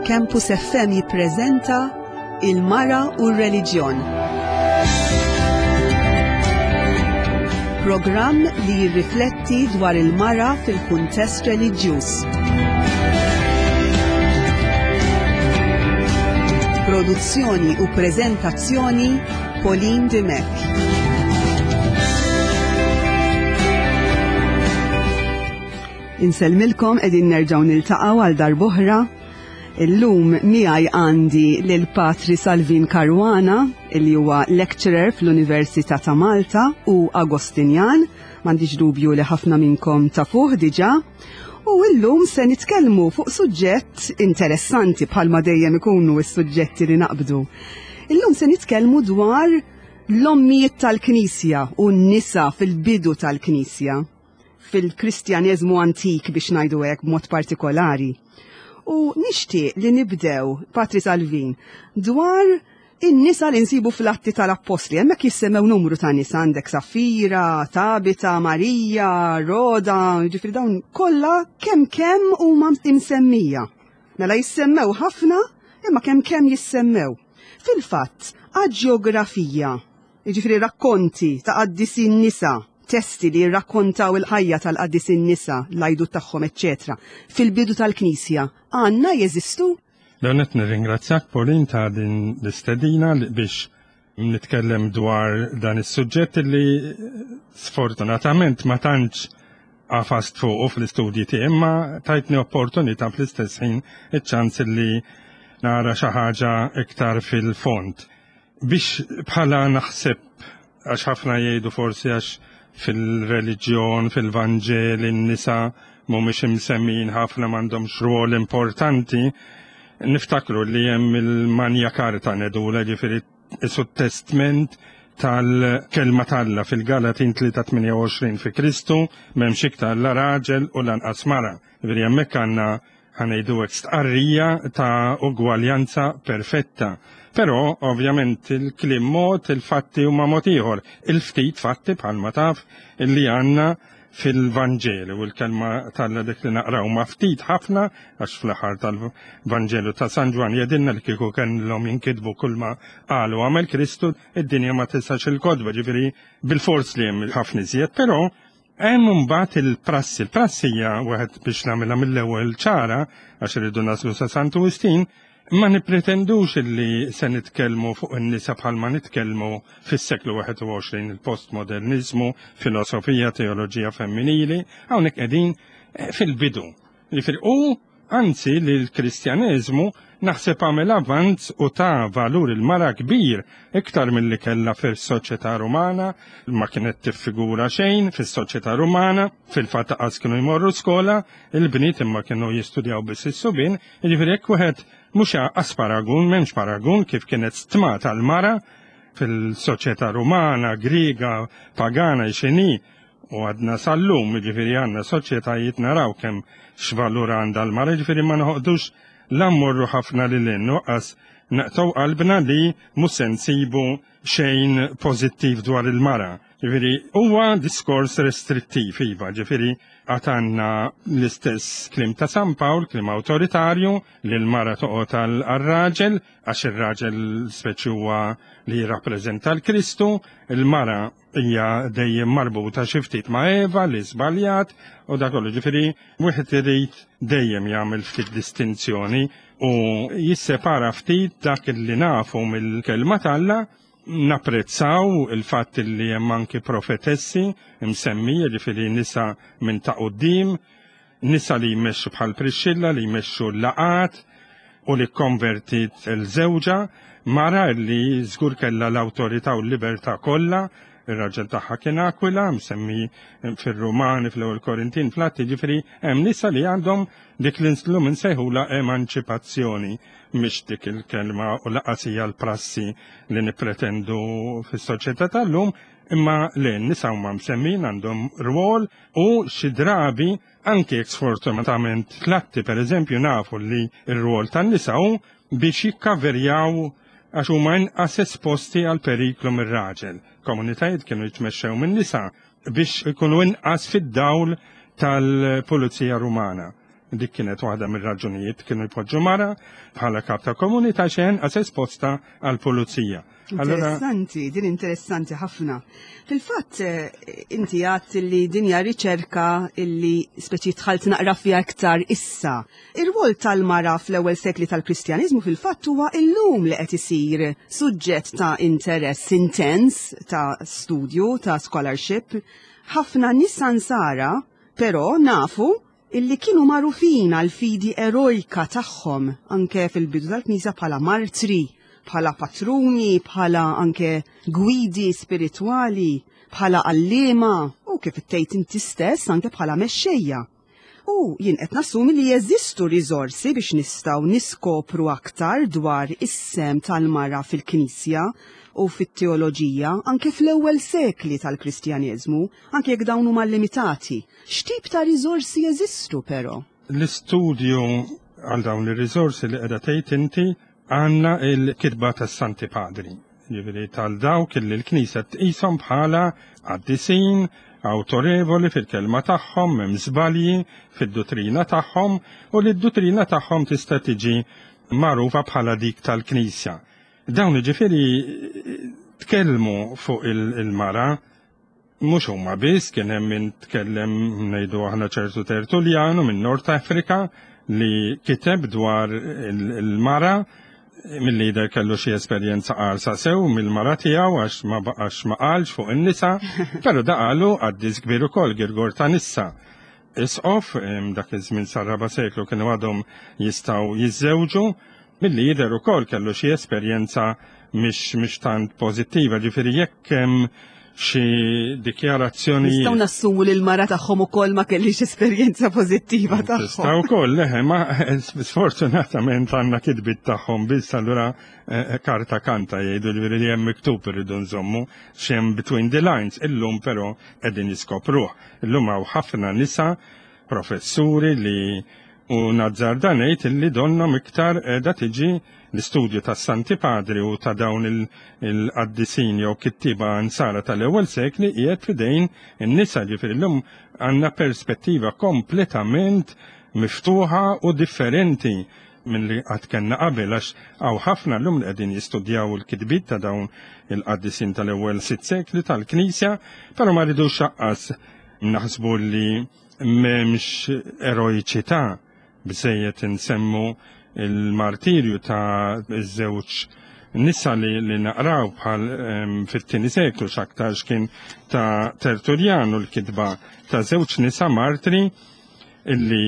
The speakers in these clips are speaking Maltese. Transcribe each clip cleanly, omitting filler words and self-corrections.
Campus FM jippreżenta Il-Mara u r-Reliġjon. Programm li jirrifletti dwar il-mara fil-kuntest reliġjuż. Produzzjoni u preżentazzjoni Pauline Dimech. Insellmilkom qegħdin nerġgħu niltaqgħu għal darb'oħra. Illum miegħi għandi lil Patri Salvin Caruana, li huwa lecturer fl-Università ta' Malta u Agostinjan, m'għandix dubju li ħafna minnkom tafuh diġà. U illum se nitkellmu fuq suġġett interessanti bħalma dejjem ikunu s-suġġetti li naqbdu. Illum se nitkellmu dwar l-ommijiet tal-Knisja u n-nisa fil-bidu tal-Knisja, fil-Kristjaneżmu antik biex ngħidu hekk b'mod partikolari. U nixtieq li nibdew, Patri Salvin, dwar in-nisa li nsibu fl-Atti tal-Appostli. Hemmhekk jissemmew numru ta' nisa, għandek Safira, Tabita, Marija, Roda, jiġifieri dawn kollha kemm kemm huma imsemmija. Mela jissemmew ħafna, imma kemm kemm jissemmew. Fil-fatt, aġjografija, jiġifieri rakkonti ta' qaddisin nisa, testi li jirrakkontaw il-ħajja tal-qaddisin nisa, l-għajdut tagħhom, eċċetera, fil-bidu tal-Knisja, għandna jeżistu? L-ewwel nett nirringrazzjak Pauline ta' din l-istedina biex nitkellem dwar dan is-suġġett li sfortunatament ma tantx għafast fuqu fl-istudji tiegħi imma tajtni opportunità fl-istess ħin iċ-ċans li nara xi ħaġa iktar fil-fond. Biex bħala naħseb għax ħafna jgħidu forsi għax fil-reliġjon, fil-Vanġel, in-nisa mhumiex imsemmijin ħafna m'għandhomx rwol importanti, niftakru li hemm il-Manja Karta ngħidulha ġifieri isu testment tal-kelma t'Alla fil-Galatin 3:28 fi Kristu m'hemmx iktar la raġel u lanqas mara. Ġifieri hemmhekk għandna ħa ngħidu hekk stqarrija ta' ugwaljanza perfetta. Però ovvjament il-kliem mod, il-fatti huma mod ieħor. Il-ftit fatti bħalma taf illi għandna fil-Vanġelu u l-kelma t'Alla dik li naqraw ma ftit ħafna għax fl-aħħar tal-Vanġelu ta' San Ġwann jgħidilna li kieku kellhom jinkitbu kulma qal u għamel Kristu, id-dinja ma tisax il-kotba, ġifieri bilfors li hemm ħafna iżjed, però Hemm imbagħad il-prassi. Il-prassi hija wieħed biex nagħmilha mill-ewwel ċara għax irridu naslu sa Santu Wistin, ma nippretendux illi se nitkellmu fuq in-nisa bħalma nitkellmu fis-seklu 21 il-postmoderniżmu, filosofija, teoloġija femminili, hawnhekk qegħdin eh, fil-bidu. Jiġifieri u anzi li l-Kristjaneżmu naħseb għamel avanz u ta valur il-mara kbir iktar milli kellha fis-soċjetà Rumana, ma kienet tiffigura xejn fis-soċjetà Rumana, fil-fatt qas kienu jmorru skola, il-bniet imma kienu jistudjaw biss is-subien, jiġifieri jekk wieħed mhux qas paragun, m'hemmx paragun kif kienet stmata l-mara fil-soċjetà Rumana, Griega, pagana x'inhi, U għadna sal-lum, jiġifieri għandna soċjetajiet naraw kemm x'valur għandha l-mara, jiġifieri ma noħodux la mmorru ħafna lil hinn u qas naqtgħu qalbna li mhux se nsibu xejn pożittiv dwar il-mara. Jiġifieri huwa diskors restrittiv, iva, jiġifieri għad għandna l-istess kliem ta' San Pawl, kliem awtoritarju, li l-mara toqgħod għar-raġel, għax ir-raġel speċi huwa li jirrappreżenta l-Kristu, il-mara hija dejjem marbuta xi ftit ma' Eva li żbaljat u dak kollu. Ġifieri wieħed irid dejjem jagħmel ftit distinzjoni u jissepara ftit dak li nafu mill-kelma t'Alla napprezzaw il-fatt li hemm anki profetessi msemmija ġifieri nisa minn ta' quddiem Nisa li jmexxu bħal Priscilla li jmexxu l-laqgħat u li kkonvertiet il-żewġha, mara li żgur kellha l-awtorità u l-libertà kollha, ir-raġel tagħha kien Aquila, msemmi fir-Rumani, fl-Ewwel Korintin, fl-Atti, ġifieri hemm nisa li għandhom dik li llum insejħulha emanċipazzjoni, mhix dik il-kelma u laqas hija l-prassi li nippretendu fis-soċjetà tal-lum, imma le, n-nisa huma msemmin għandhom rwol U xi drabi, anki jekk sfortunatament fl-atti pereżempju nafu li r-rwol tan-nisa hu biex jikkaverjaw għax huma inqas esposti għal periklu mir-raġel. Komunitajiet kienu jitmexxew min-nisa biex ikunu inqas fid-dawl tal-pulizija Rumana. Dik kienet waħda mir-raġunijiet kienu jpoġġu mara bħala kap ta' komunità xejn għas esposta għall-pulizija. Interessanti, din interessanti ħafna. Fil-fatt, eh, inti għat li din hija riċerka illi speċi tħalt naqra fiha iktar issa. Ir-rwol tal-mara fl-ewwel sekli tal-Kristjaniżmu fil-fatt huwa illum li qed isir suġġett ta' interess intens ta' studju, ta' scholarship. Ħafna nisa nsara, però nafu illi kienu magħrufin għall-fidi erojka tagħhom anke fil-bidu tal-Knisja bħala martri, bħala patruni, bħala anke gwidi spiritwali, bħala għalliema u kif ittejt inti stess anke bħala mexxejja. U jien qed nassumi li jeżistu riżorsi biex nistgħu niskopru aktar dwar is-sehem tal-mara fil-Knisja u fit-teoloġija anke fl-ewwel sekli tal-Kristjaneżmu, anke jekk dawn huma limitati. X'tip ta' riżorsi jeżistu però? L-istudju għal dawn ir-riżorsi li qiegħda tgħid inti għandna l-kitba tas-Santi Padri, jiġifieri tal dawk li l-Knisja tqishom bħala qaddisin, awtorevoli fil-kelma tagħhom, m'hemm żbalji fid-duttrina tagħhom u li d-duttrina tagħhom tista' tiġi magħrufa bħala dik tal-Knisja. Dawn jiġifieri tkellmu fuq il-mara. Mhux huma biss, kien hemm min tkellem ngħidu aħna ċertu Tertullianu minn North Africa li kiteb dwar il-mara mill-lider kellu xi esperjenza qarsa sew mill-mara tiegħu għax ma baqax ma qalx fuq in-nisa, però da qalu qaddis kbir ukoll Girgor ta' Nissa. Isqof dak iż-żmien sar-raba' seklu kienu għadhom jistgħu jiżżewġu, milli jidher ukoll kellu xi esperjenza mhix tant pożittiva, ġifieri jekk hemm xi dikjarazzjoni. Nistgħu nassumu li l-mara tagħhom ukoll ma kellix esperjenza pożittiva tagħhom. Tista' wkoll, leħe, ma sfortunatament għandna kitbit tagħhom biss allura eh, eh, karta kanta jgħidu li li hemm miktub irridu nżommu x'hemm between the lines. Illum però qegħdin jiskopruh. Illum hawn ħafna nisa professuri li u nazzarda ngħid illi donnhom iktar qiegħda tiġi l-istudju tas-Santi Padri u ta' dawn il-qaddisin jew kittieba nsara tal-ewwel sekli qiegħed f'idejn in-nisa ġifieri llum għandna perspettiva kompletament miftuħa u differenti minn li qatt kellna qabel għax hawn ħafna llum li qegħdin jistudjaw il-kitbiet ta' dawn il-qaddisin tal-ewwel sitt sekli tal-Knisja, però ma rridux aqqas naħsbu li m'hemmx eroiċità biżejjed insemmu il-martirju ta' żewġ nisa li, li naqraw bħal um, fit-tieni seklu x'aktarx kien ta' Tertullianu l-kitba ta' żewġ nisa martri illi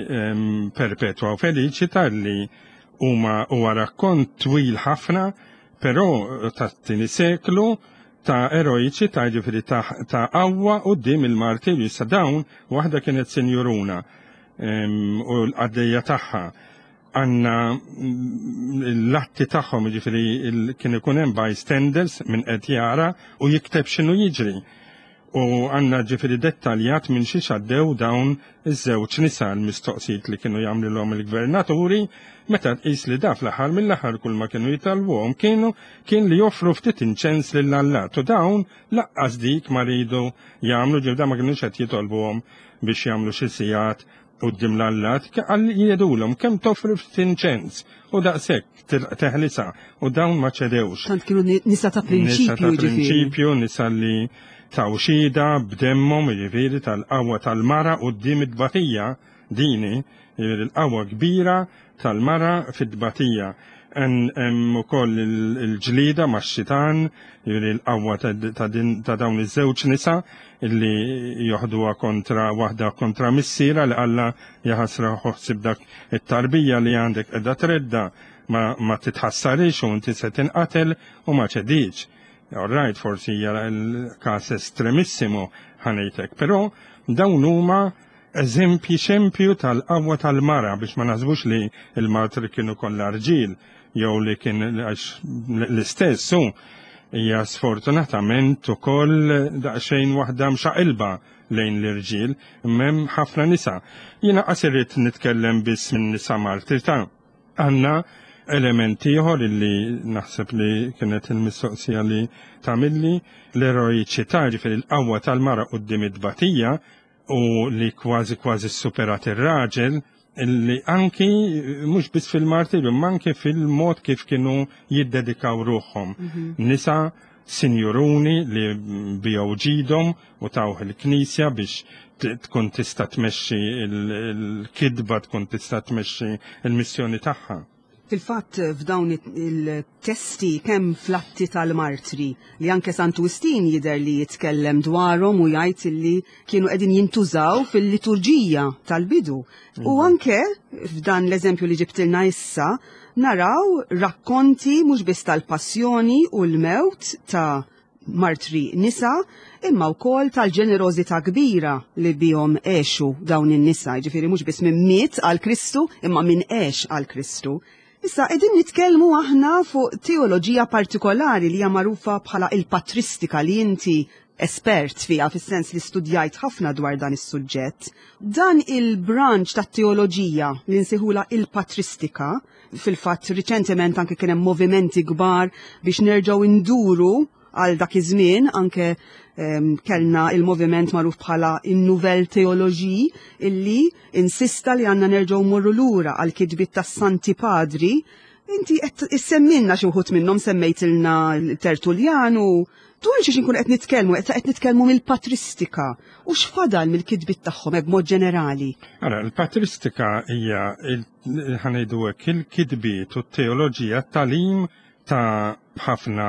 um, perpetwa u feliċita illi huma huwa rakkont twil ħafna, però tat-tieni seklu ta' eroiċità jiġifieri ta' ta' qawwa quddiem il-martirju. Issa dawn waħda kienet sinjuruna u l-qaddejja tagħha għandna mm, l-atti tagħhom jiġifieri kien ikun hemm bystanders minn qed jara u jikteb x'inhu jiġri. U għandna ġifieri dettaljat minn xiex għaddew dawn iż-żewġ nisa l-mistoqsijiet li kienu jagħmlilhom il-gvernaturi meta tqis li da fl-aħħar mill-aħħar kull ma kienu jitalbuhom kienu kien li joffru ftit inċens lil Allat u dawn laqqas dik ma ridu jagħmlu ġifieri ma kinux qed jitolbuhom biex jagħmlu xi sigħat quddiem l-allat għal jgħidulhom kemm toffri ftit inċens u daqshekk teħlisa u dawn ma ċedewx. Tant kienu nisa ta' prinċipju. Nisa ta' prinċipju, nisa li taw xhieda b'demmhom jiġifieri tal-qawwa tal-mara quddiem it-tbatija dini, jiġifieri l-qawwa kbira tal-mara fit-tbatija. Hemm ukoll il-ġlieda max-xitan, jiġifieri l-qawwa ta' dawn iż-żewġ nisa illi joħduha kontra waħda kontra missierha li qallha jaħasra ħsib dak it-tarbija li għandek qiegħda tredda ma, ma titħassarix u inti se tinqatel u ma ċediċ. All right, forsi hija l-każ estremissimu ħanejtek, però dawn huma eżempji xempju tal-qawwa tal-mara biex ma naħsbux li l-martri kienu kollha rġiel jew li kien għax l-istess hu hija sfortunatament ukoll daqsxejn waħda mxaqilba lejn l-irġiel, m'hemm ħafna nisa. Jiena qas irrid nitkellem biss minn nisa martri ta' għandna element ieħor illi naħseb li kienet il-mistoqsija li tagħmilli l-eroiċità, ġifieri l-qawwa tal-mara quddiem it-tbatija u li kważi kważi superat ir-raġel. Li anki mhux biss fil-martirju, ma anki fil-mod kif kienu jiddedikaw ruħhom. Nisa sinjuruni li biegħu ġidhom u tawh il-Knisja biex tkun tista' tmexxi l-kitba, tkun tista' tmexxi l-missjoni tagħha. Fil-fatt f'dawn il-testi kemm fl-Atti tal-Martri li anke Santu Wistin jidher li jitkellem dwarhom u jgħid li kienu qegħdin jintużaw fil-liturġija tal-bidu. U anke f'dan l-eżempju li ġibtilna issa naraw rakkonti mhux biss tal-passjoni u l-mewt ta' martri nisa, imma wkoll tal-ġenerożità kbira li bihom għexu dawn in-nisa, jiġifieri mhux biss min miet għal Kristu, imma min għex għal Kristu. Issa qegħdin nitkellmu aħna fuq teoloġija partikolari li hija magħrufa bħala il-patristika li inti espert fiha fis-sens li studjajt ħafna dwar dan is-suġġett. Dan il-branch tat-teoloġija li nsejħulha il-patristika, fil-fatt riċentement anke kien hemm movimenti kbar biex nerġgħu nduru għal dak iż-żmien, anke kellna il-moviment magħruf bħala in-Nouvelle Théologie illi insista li għandna nerġgħu morru lura għal kitbiet tas-Santi Padri. Inti qed issemmilna xi wħud minnhom, semmejtilna Tertullian u dwar xiex inkun qed nitkellmu, qed nitkellmu mill-patristika u x'fadal mill-kitbiet tagħhom hekk b'mod ġenerali. Ara, il-patristika hija ħa ngħidu hekk il-kitbiet u t-teoloġija t-tagħlim ta' ħafna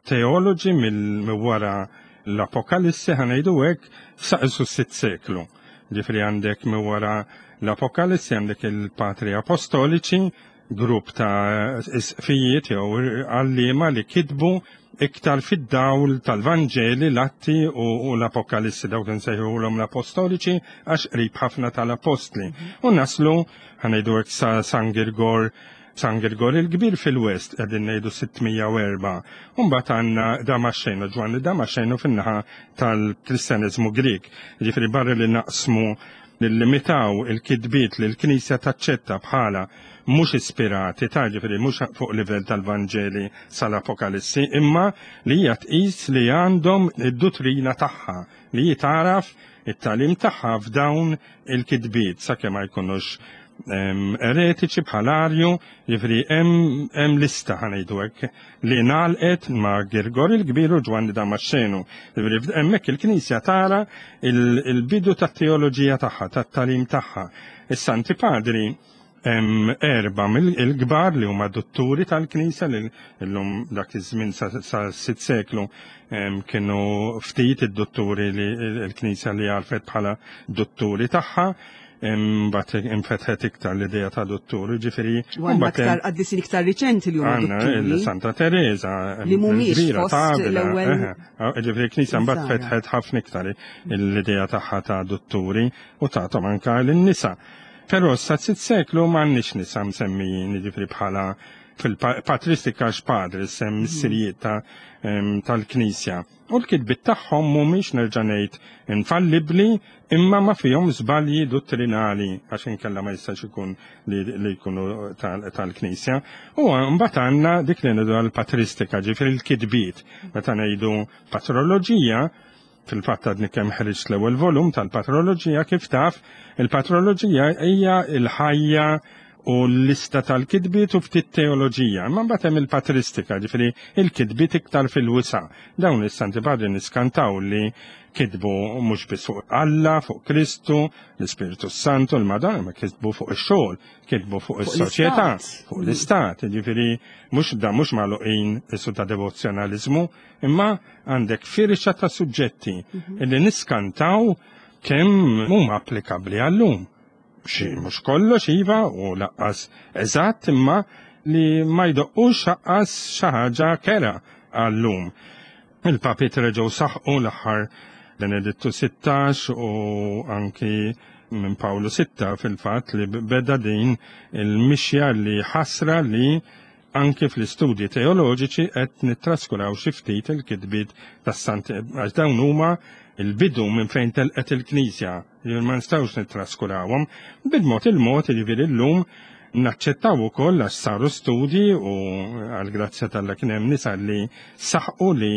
teoloġi mill wara l-Apokalissi ħa ngħidu hekk sa s-sitt seklu. Ġifieri għandek minn wara l-Apokalissi għandek il-Patri Apostoliċi, grupp ta' isqfijiet jew għalliema li kitbu iktar fid-dawl tal-Vanġeli, l-Atti u l-Apokalissi, dawk insejħulhom l-Apostoliċi għax qrib ħafna tal-Apostli. U naslu ħa ngħidu hekk sa San Girgor San Girgor il-Kbir fil-West qegħdin ngħidu 604. U mbagħad għandna Damaxxenu, Ġwanni Damaxxenu fin-naħa tal-Kristjaneżmu Grieg. Ġifieri barra li naqsmu nillimitaw il-kitbiet li l-Knisja taċċetta bħala mhux ispirati, ta' ġifieri mhux fuq livell tal-Vanġeli sal-Apokalissi, imma li hija tqis li għandhom id-duttrina tagħha, li hi tagħraf it-tagħlim tagħha f'dawn il-kitbiet sakemm ma jkunux eretiċi bħal Arju, jiġifieri hemm lista ħa ngħidu hekk li ngħalqet ma' Girgor il-Kbir u Ġwanni Damaxxenu. Jiġifieri hemmhekk il-Knisja tara il-bidu tat-teoloġija tagħha, tat-tagħlim tagħha. Is-Santi Padri hemm erba' mill-kbar li huma dutturi tal-Knisja li llum dak iż-żmien sa sitt seklu kienu ftit id-dutturi li l-Knisja li għarfet bħala dutturi tagħha. Imbagħad infetħet iktar l-idea ta' duttur, ġifieri. U għandna iktar qaddisin iktar riċenti li huma dutturi. Santa Teresa, li mhumiex fost l-ewwel. Ġifieri l-Knisja mbagħad fetħet ħafna iktar l-idea tagħha ta' dutturi u tagħthom anke lin-nisa. Però sa sitt seklu m'għandniex nisa msemmijin, jiġifieri bħala fil-patristika x'padri sem mhm. missirijiet tal-Knisja. U l-kitbiet tagħhom mhumiex nerġa' ngħid infallibbli imma ma fihom żbalji dottrinali għax inkella ma jistax ikun li jkunu tal-Knisja. U mbagħad għandna dik li ngħidu għall-patristika, ġifieri l-kitbiet. Meta ngħidu patroloġija, Fil-fatt għadni kemm ħriġt l-ewwel volum tal-patroloġija kif taf, il-patroloġija hija l-ħajja u l-lista tal-kitbiet u ftit teoloġija. Imma mbagħad hemm il-patristika, ġifieri il-kitbiet iktar fil-wisa'. Dawn is-Santi Padri niskantaw li kitbu mhux biss fuq Alla, fuq Kristu, l-Ispirtu Santu, l-Madonna, ma kitbu fuq ix-xogħol, kitbu fuq is-soċjetà, fuq l-istat, ġifieri mhux da mhux magħluqin isu ta' devozzjonaliżmu, Imma għandek firxa ta' suġġetti mhm. li niskantaw kemm huma applikabbli għallum. Xi mhux kollox iva u laqqas eżatt imma li ma jdoqqux aqqas xi ħaġa kera għallum. Il-papiet reġgħu saħqu l-aħħar Benedittu 16 u anki minn Pawlu 6 fil-fatt li beda din il-mixja li ħasra li Anki fl-istudji teoloġiċi qed nittraskuraw xi ftit il-kitbiet tas-Santi għax dawn huma l-bidu minn fejn telqet il-Knisja, jiġifieri ma nistgħux nittraskurawhom. Bil-mod il-mod, jiġifieri llum naċċettaw ukoll għax saru studji u għall-grazzja t'Alla kien hemm nisa li saħqu li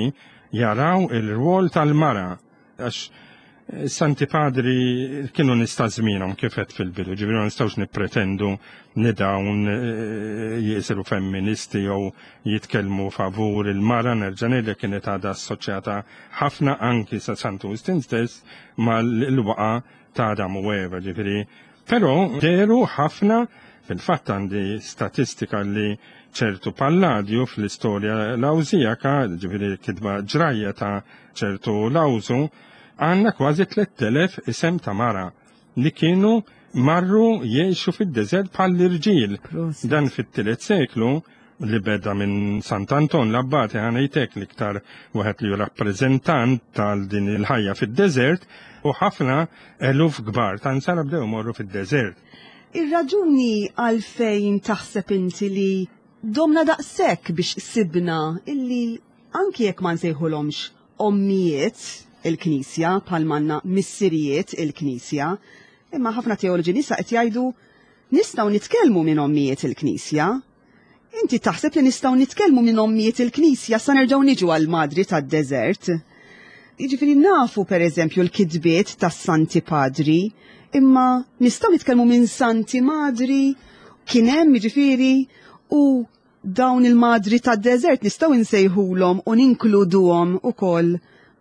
jaraw il-rwol tal-mara għax. Santi Padri kienu nista' żmienhom kif qed fil-bidu, ġifieri ma nistgħux nippretendu li dawn eh, jisiru femministi jew jitkellmu favur il-mara nerġa' ngħidlek kienet għadha assoċjata ħafna anki sa Santu Wistin stess mal-waqa ta' Adam u Eva, ġifieri. Però deru ħafna fil-fatt għandi statistika li ċertu Palladju fl-istorja Lawżijaka, ġifieri kitba ġrajja ta' ċertu Lawżu, għandna kważi 3000 isem ta' mara li kienu marru jgħixu fid-deżert bħall-irġiel. Dan fit-tielet seklu li beda minn Sant'Anton l-Abbati ħanejtek l-iktar wieħed li rappreżentant tal din il-ħajja fid-deżert u ħafna eluf kbar ta' nsara bdew morru fid-deżert. Ir-raġuni għalfejn taħseb inti li domna daqshekk biex sibna illi anki jekk ma nsejħulhomx ommijiet il-Knisja bħal manna missirijiet il-Knisja, imma ħafna teoloġi nisa qed jgħidu nistgħu nitkellmu minn ommijiet il-Knisja. Inti taħseb li nistgħu nitkellmu minn ommijiet il-Knisja sa nerġgħu niġu għal madri tad-deżert. Jiġifieri nafu pereżempju l-kitbiet tas-Santi Padri, imma nistgħu nitkellmu minn Santi Madri kien hemm jiġifieri u dawn il-madri tad-deżert nistgħu nsejħulhom u ninkluduhom ukoll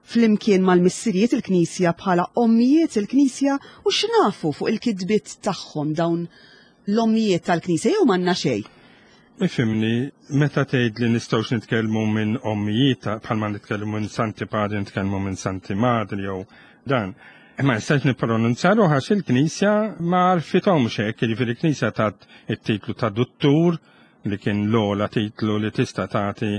flimkien mal-missirijiet il-Knisja bħala ommijiet il-Knisja u x'nafu fuq il-kitbiet tagħhom dawn l-ommijiet tal-Knisja jew m'għandna xejn. Ifhimni, meta tgħid li nistgħux nitkellmu minn ommijiet bħalma nitkellmu minn Santi Padri nitkellmu minn Santi Madri jew dan. Ma nistax nippronunzja ruħ għax il-Knisja ma għarfithomx hekk, jiġifieri il-Knisja tat it-titlu ta' duttur li kien l-ogħla titlu li tista' tagħti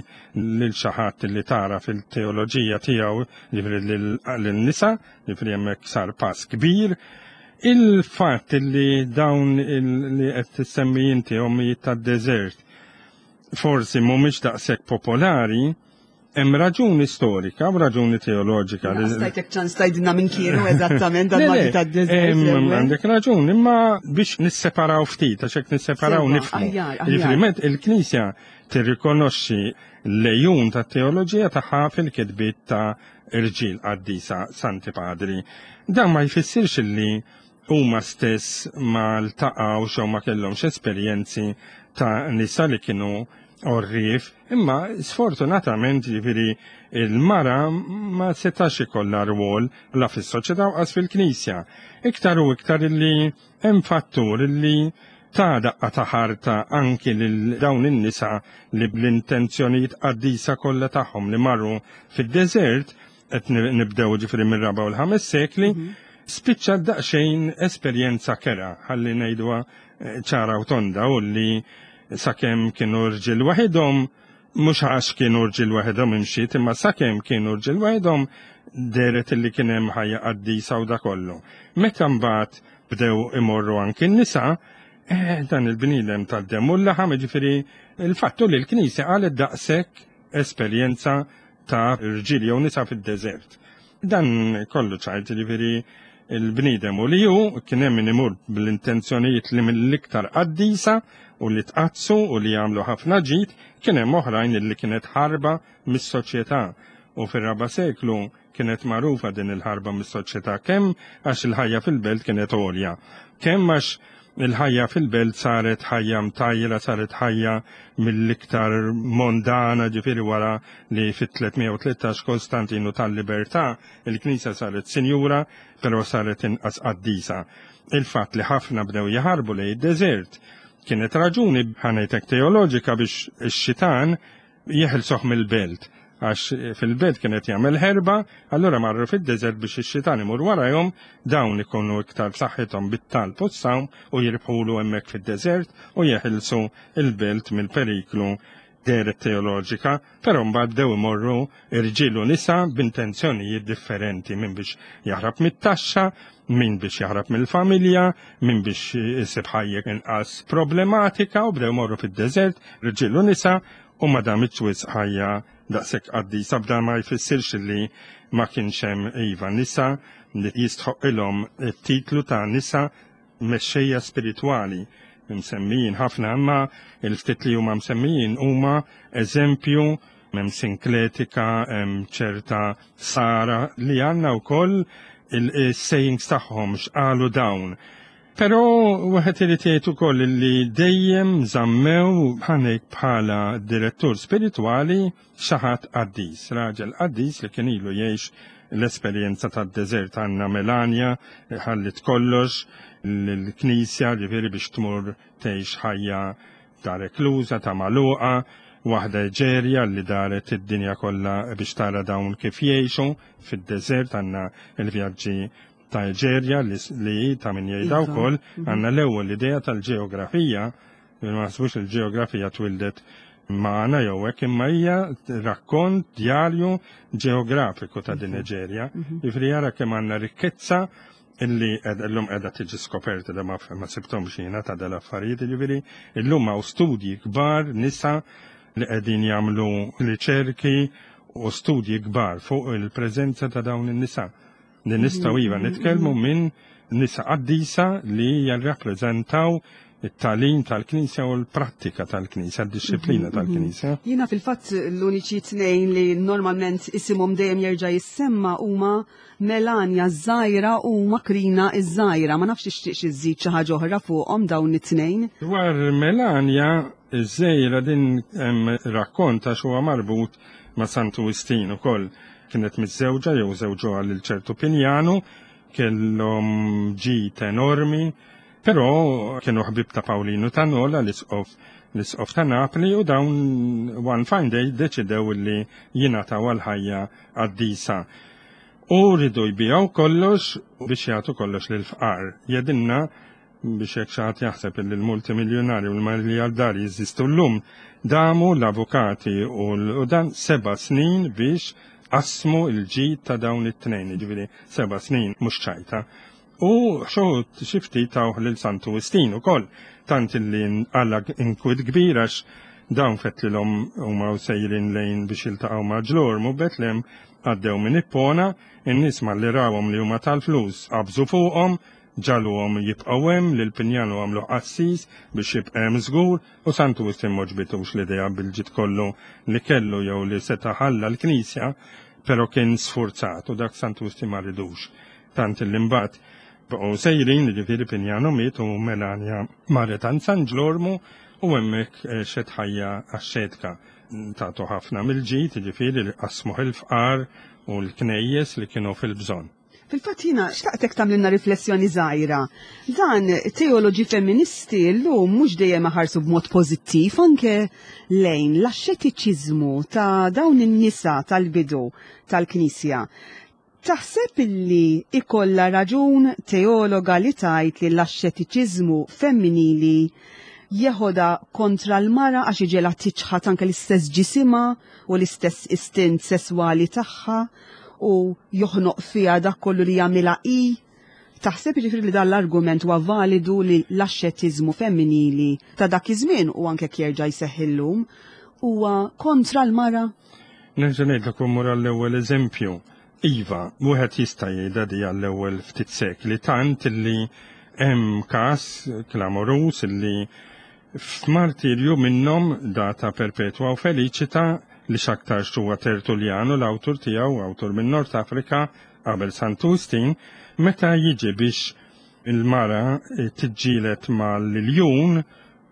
lil xi ħadd li tara fil-teoloġija tiegħu, jiġifieri lin-nisa, jiġifieri hemmhekk sar pass kbir. Il-fatt li dawn li qed tissemmi inti ommijiet tad-deżert forsi mhumiex daqshekk popolari, Hemm raġuni storika u raġuni teoloġika. Stajtek ċans tajdilna minn kienu eżattament dan ma tad-deżert. Għandek raġun, imma biex nisseparaw ftit, għax hekk nisseparaw nifhmu. Jiġifieri il-Knisja tirrikonoxxi l-lejun tat-teoloġija tagħha fil-kitbiet ta' irġiel qaddisa Santi Padri. Dan ma jfissirx li huma stess ma ltaqgħux jew ma kellhomx esperjenzi ta' nisa li kienu għorrief, imma sfortunatament jiġifieri il-mara ma setax ikollha rwol la fis-soċjetà u qas fil-Knisja. Iktar u iktar illi hemm fattur illi ta' daqqa ta' ħarta anki lil dawn in-nisa li bl-intenzjonijiet qaddisa kollha tagħhom li marru fid-deżert, qed nibdew ġifieri mir-raba' u l-ħames sekli, spiċċa daqsxejn esperjenza kera, ħalli ngħiduha eh, ċara u tonda u li sakemm kienu rġiel waħidhom, mhux għax kienu rġiel waħedhom imxiet, imma sakemm kienu rġiel waħedhom deret li kien hemm ħajja qaddisa u da kollu. Meta mbagħad bdew imorru anki n-nisa, eh, dan il-bniedem tad-demm u l-laħam, ġifieri il-fattu li l-Knisja qalet daqshekk esperjenza ta' rġiel jew nisa fid-deżert. Dan kollu ċajt, ġifieri il-bniedem u li hu kien hemm min imur bl-intenzjonijiet li mill-iktar qaddisa u li tqaddsu u li jagħmlu ħafna ġid, kien hemm oħrajn li kienet ħarba mis-soċjetà. U fir-raba' seklu kienet magħrufa din il-ħarba mis-soċjetà kemm għax il-ħajja fil-belt kienet għolja, kemm għax il-ħajja fil-belt saret ħajja mtajra, saret ħajja mill-iktar mondana, ġifieri wara li fit-313 Kostantinu tal-Libertà il-Knisja saret sinjura, però saret inqas qaddisa. Il-fatt li ħafna bdew jaħarbu lejn id-deżert kienet raġuni ħanejtek teoloġika biex ix-xitan jeħilsuh mill-belt għax fil-belt kienet jagħmel ħerba, allura marru fid-deżert biex ix-xitan imur warajhom, dawn ikunu iktar b'saħħithom bit-talb u s-sawm u jirbħulu hemmhekk fid-deżert u jeħilsu il-belt mill-periklu dehret teoloġika, però mbagħad bdew imorru irġiel u nisa b'intenzjonijiet differenti, min biex jaħrab mit-taxxa, min biex jaħrab mill-familja, min biex isib ħajja inqas problematika u bdew imorru fid-deżert, irġiel u nisa, u ma damitx wisq ħajja daqshekk qaddisa b'dan ma jfissirx li ma kienx hemm iva nisa li jistħoqqilhom it-titlu ta' nisa mexxejja spiritwali msemmijin ħafna imma il-ftit li huma msemmijin huma eżempju hemm Sinkletika, hemm ċerta Sara li għandna wkoll il-sayings tagħhom x'qalu dawn. Però wieħed irid jgħid ukoll li dejjem żammew ħanek bħala direttur spiritwali xi ħadd qaddis, raġel qaddis li kien ilu jgħix l-esperjenza tad-deżert. Għandna Melania ħallit kollox l-knisja, ġifieri biex tmur tgħix ħajja ta' rekluża, ta' magħluqa, waħda Eġerja li daret id-dinja kollha biex tara dawn kif jgħixu fid-deżert. Għandna il-vjaġġi ta' Eġerja li ta' min jgħidha wkoll, għandna l-ewwel idea tal-ġeografija, ma naħsbux il-ġeografija twildet magħna jew hekk, imma hija rakkont djarju ġeografiku ta' din Eġerja. Jiġifieri jara kemm għandna rikkezza illi illum qiegħda tiġi skoperta, da ma sibthomx jiena ta' dal-affarijiet, jiġifieri illum hawn studji kbar, nisa li qegħdin jagħmlu riċerki u studji kbar fuq il-preżenza ta' dawn in-nisa. Li nistgħu iva nitkellmu minn nisa qaddisa li jirrappreżentaw it-tagħlim tal-Knisja u l-prattika tal-Knisja, d-disciplina tal-Knisja. Jiena fil-fatt l-uniċi tnejn li normalment isimhom dejjem jerġa' jissemma huma Melania ż-żgħira u Makrina ż-żgħira. Ma nafx tixtieqx iżżid xi ħaġa oħra fuqhom dawn it-tnejn. Dwar Melania ż-żgħira din hemm rakkont għax huwa marbut ma' Santu Wistin ukoll. Kienet miżżewġa jew żewġuha lil ċertu Pinjanu, kellhom ġid enormi, però kienu ħbieb ta' Pawlinu ta' Nola, l-isqof ta' Napli, u dawn one fine day deċidew li jingħataw għal ħajja qaddisa. U ridu jbiegħu kollox biex jagħtu kollox lil fqar. Jedinna biex jekk xi ħadd jaħseb li l-multimiljonari u l-miljardari jeżistu llum, damu l-avukati u dan 7 snin biex qasmu l-ġid ta' dawn it-tnejn, jiġifieri 7 snin mhux ċajta. U xoħut xi ftit tawh lil Santu Wistin ukoll, tant illi nqala inkwit kbir għax dawn fetlilhom huma sejrin lejn biex jiltaqgħu ma' Ġlormu Betlem, għaddew minn Ippona, in-nies malli rawhom li huma tal-flus qabżu fuqhom, ġaluhom jibqgħu hemm, lil Pinjanu għamlu qassis biex jibqa' hemm żgur, u Santu Wistin m'għoġbitux l-idea bil-ġid kollu li kellu jew li seta' ħalla l-Knisja, però kien sfurzat u dak Santu Wistin ma ridux. Tant li mbagħad baqgħu sejrin, jiġifieri Pinjanu miet u Melania marret għand San Ġlormu u hemmhekk xed ħajja axxetka. Tagħtu ħafna mill-ġid, jiġifieri li qasmuh il-fqar u l-knejjes li kienu fil-bżonn. Fil-fatt jiena xtaqtek tagħmlilna riflessjoni żgħira. Dan teoloġi femministi llum mhux dejjem iħarsu b'mod pożittiv anke lejn l-axxetiċiżmu ta' dawn in-nisa tal-bidu tal-Knisja. Taħseb illi ikollha raġun teologa li tgħid li l-axxetiċiżmu femminili jeħodha kontra l-mara għax iġela tiċħad anke l-istess ġisimha u l-istess istint sesswali tagħha u joħnoq fiha dak kollu li jagħmilha hi? Taħseb jiġifieri li dan l-argument huwa validu li l-axxetiżmu femminili ta' dak iż-żmien u anke jerġa' jseħħ illum huwa kontra l-mara? Nerġa' ngħidlek u mmur għall-ewwel eżempju. Iva, wieħed jista' jgħidha di għall-ewwel ftit sekli, tant illi hemm każ klamoruż illi f'martirju minnhom data Perpetua u Felicita li x'aktarx huwa Tertullianu l-awtur tiegħu, awtur minn Nord Afrika qabel Santu Wistin, meta jiġi biex il-mara tiġġieled mal-iljun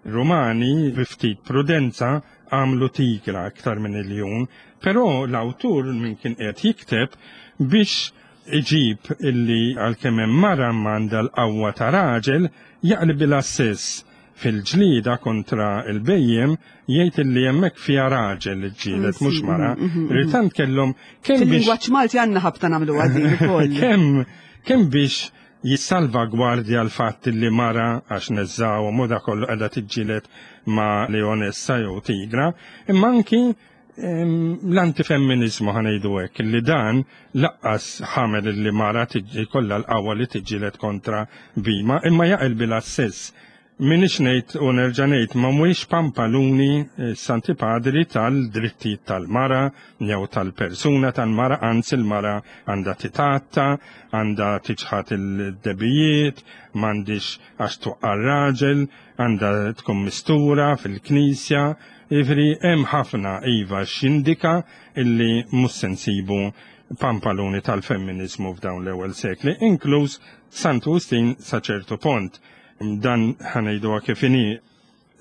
Rumani bi ftit prudenza għamlu tigra iktar minn iljun, però l-awtur min kien qed jikteb biex iġib illi għalkemm hemm mara m'għandha l-qawwa ta' raġel jaqleb sess fil-ġlieda kontra il-bejjem, jgħid illi hemmhekk fiha raġel ġġieled mhux mara. Ritant kellhom kemm biex Fil-lingwaġġ Malti għandna ħabta nagħmlu din ukoll. Kemm biex jissalvagwardja l-fatt li mara għax neżżawhom u da kollu qiegħda tiġġieled ma' leonessa jew tigra, imma anki l-antifemminizmu ħa ngħidu hekk, li dan laqqas ħamel li mara jkollha l-qawwa li tiġġieled kontra bima, imma jaqilbilha s-sess. Minix ngħid u nerġa' ngħid ma mhuwiex pampaluni Santi Padri tal-drittijiet tal-mara jew tal-persuna tal-mara, anzi l-mara għandha titatta, għandha tiċħad il-debijiet, m'għandix għax tuqqa' raġel, għandha tkun mistura fil-knisja, jiġifieri hemm ħafna iva x'jindika illi mhux se nsibu pampaluni tal-femminizmu f'dawn l-ewwel sekli, inkluż Santu Wistin sa ċertu pont. Dan ħa ngħiduha kif inhi,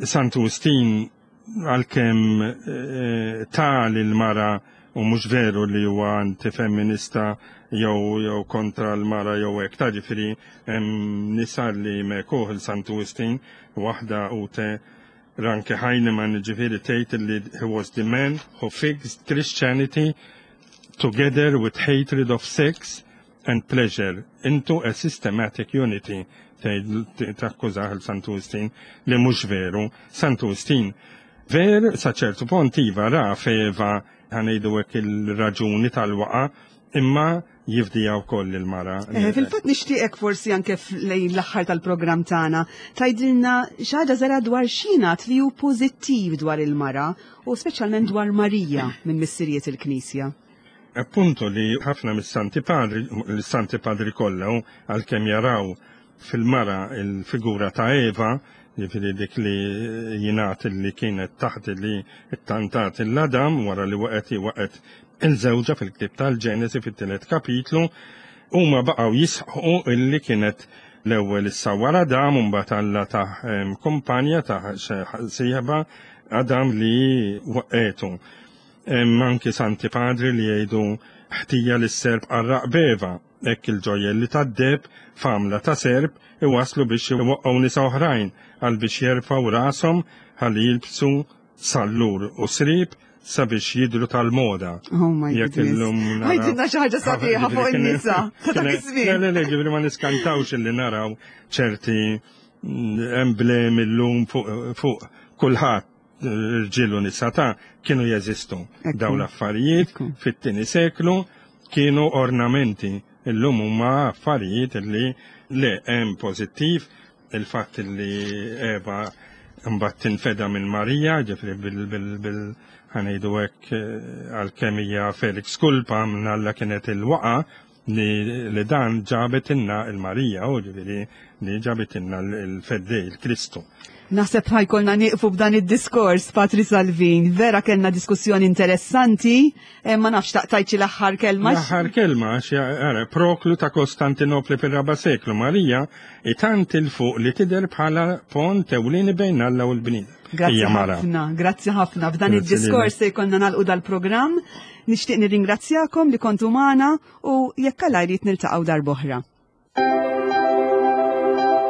Santu Wistin għalkemm eh, ta lil mara u mhux veru li huwa antifemminista jew jew kontra l-mara jew hekk ta' ġifieri hemm nisa li mekuh il Santu Wistin waħda Ute Ranke Heinemann ġifieri tgħid li he was the man who fixed Christianity together with hatred of sex and pleasure into a systematic unity tgħid takkużah il Santu Wistin li mhux veru. Santu Wistin ver sa ċertu pont iva ra f'Eva ħa ngħidu hekk il-raġuni tal-waqa imma jifdija wkoll il-mara. Eh, fil-fatt nixtieqek forsi anke lejn l-aħħar tal-programm tagħna tgħidilna xi ħaġa żara dwar x'jingħad li hu pożittiv dwar il-mara u speċjalment dwar Marija minn missirijiet il-Knisja. Appunto li ħafna mis-Santi Padri, l-Santi Padri kollha għalkemm jaraw fil-mara il-figura ta' Eva, ġifieri dik li jingħad li kienet taħt li ttantat l-Adam wara li waqgħet waqgħet il-żewġa fil-ktieb tal-Ġenesi fit-tielet kapitlu, huma baqgħu jisħqu illi kienet l-ewwel issawwar Adam u mbagħad Alla tah kumpanja tah sieħba Adam li waqgħetu. Hemm anki Santi Padri li jgħidu ħtija li s-serp qarraq b'Eva, hekk il-ġojjelli tad-deheb f'għamla ta' serp iwasslu biex iwaqqgħu nisa oħrajn għal biex jerfgħu rashom ħalli jilbsu sallur u sriep sabiex jidhru tal-moda. Oh my goodness. Għidilna xi ħaġa sabiħa fuq in-nisa ta' dak iż-żmien. Le, le, le, ġifieri ma niskantawx illi naraw ċerti emblemi llum fuq kulħadd rġiel u nisa ta' kienu jeżistu. Dawn l-affarijiet fit-tieni seklu kienu ornamenti. Illum huma affarijiet li le hemm pożittiv il-fatt li Eva mbagħad tinfeda minn Marija, ġifieri bil ħanejdu hekk eh, għalkemm hija Felix Kulpa minn Alla kienet il-waqa li, li dan ġabet inna il-Marija, u ġifieri li ġabet inna l-Feddej, il-Kristu. Naħseb ħajkolna nieqfu b'dan id-diskors, Patri Salvin. Vera kellna diskussjoni interessanti, eh, ma nafx taqtajċi l-aħħar kelma. L-aħħar kelma, għara, Proklu ta' Kostantinopli fir-raba seklu, Marija, itant il-fuq li tidher bħala pont ewlieni bejn Alla u l-bniedem. Grazzi ħafna, grazzi ħafna. F'dan id-diskors se jkollna nagħlqu dal-programm. Nixtieq nirringrazzjakom li kontu magħna u jekk Alla jrid niltaqgħu darb'oħra.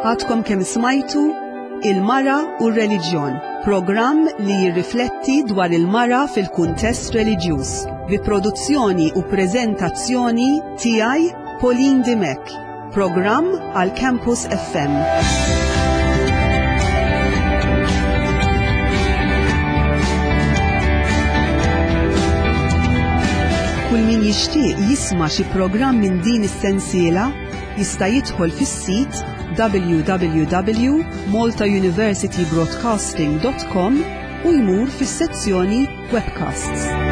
Għadkom kemm smajtu Il-Mara u r-Reliġjon, programm li jirrifletti dwar il-mara fil-kuntest reliġjuż, bi produzzjoni u preżentazzjoni tiegħi Pauline Dimech. Programm għal Campus FM. Kull min jixtieq jisma' xi programm minn din is-sensiela jista' jidħol fis-sit www.maltauniversitybroadcasting.com u jmur fis-sezzjoni Webcasts.